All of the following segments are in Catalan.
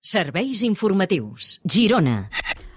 Serveis informatius. Girona.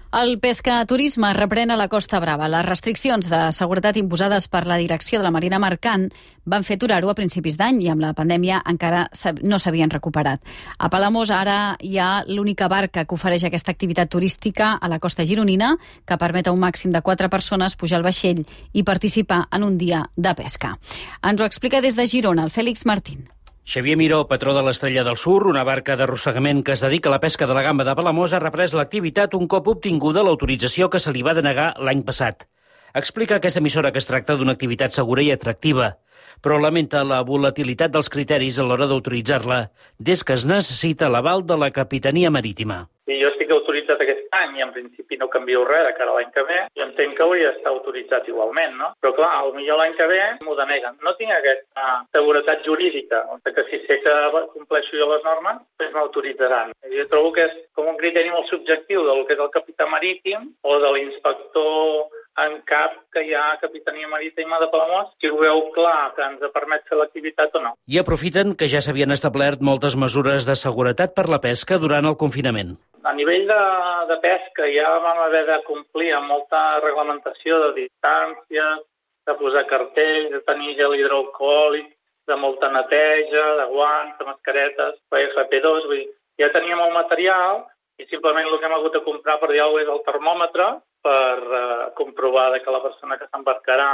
El pescaturisme reprèn a la Costa Brava. Les restriccions de seguretat imposades per la direcció de la Marina Mercant van fer aturar-ho a principis d'any i amb la pandèmia encara no s'havien recuperat. A Palamós ara hi ha l'única barca que ofereix aquesta activitat turística a la costa gironina, que permet a un màxim de 4 persones pujar al vaixell i participar en un dia de pesca. Ens ho explica des de Girona el Fèlix Martín. Xavier Miró, patró de l'Estrella del Sur, una barca d'arrossegament que es dedica a la pesca de la gamba de Palamós, ha reprès l'activitat un cop obtinguda l'autorització que se li va denegar l'any passat. Explica aquesta emissora que es tracta d'una activitat segura i atractiva, però lamenta la volatilitat dels criteris a l'hora d'autoritzar-la, des que es necessita l'aval de la Capitania Marítima. I jo estic autoritzat aquest any i en principi no canvio res de cara a l'any que ve i entenc que hauria d'estar autoritzat igualment, no? Però clar, potser l'any que ve m'ho deneguen. No tinc aquesta seguretat jurídica, que si sé que compleixo jo les normes, doncs m'autoritzaran. Jo trobo que és com un criteri molt subjectiu del que és el capità marítim o de l'inspector en cap que hi ha a Capitania Marítima de Palamós, si ho veu clar que ens permet fer l'activitat o no. I aprofiten que ja s'havien establert moltes mesures de seguretat per la pesca durant el confinament. A nivell de pesca ja vam haver de complir amb molta reglamentació de distàncies, de posar cartells, de tenir gel hidroalcohòlic, de molta neteja, de guants, de mascaretes, FP2, vull dir, ja teníem el material i simplement el que hem hagut de comprar per dir alguna cosa és el termòmetre per comprovar que la persona que s'embarcarà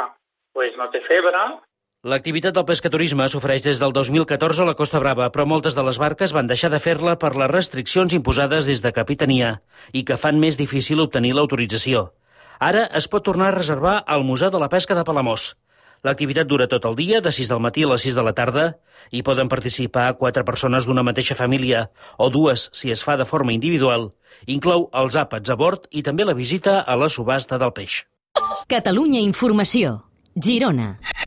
no té febre. L'activitat del pescaturisme s'ofereix des del 2014 a la Costa Brava, però moltes de les barques van deixar de fer-la per les restriccions imposades des de Capitania i que fan més difícil obtenir l'autorització. Ara es pot tornar a reservar al Museu de la Pesca de Palamós. L'activitat dura tot el dia, de 6 del matí a les 6 de la tarda, i poden participar 4 persones d'una mateixa família, o 2 si es fa de forma individual. Inclou els àpats a bord i també la visita a la subhasta del peix. Catalunya Informació. Girona.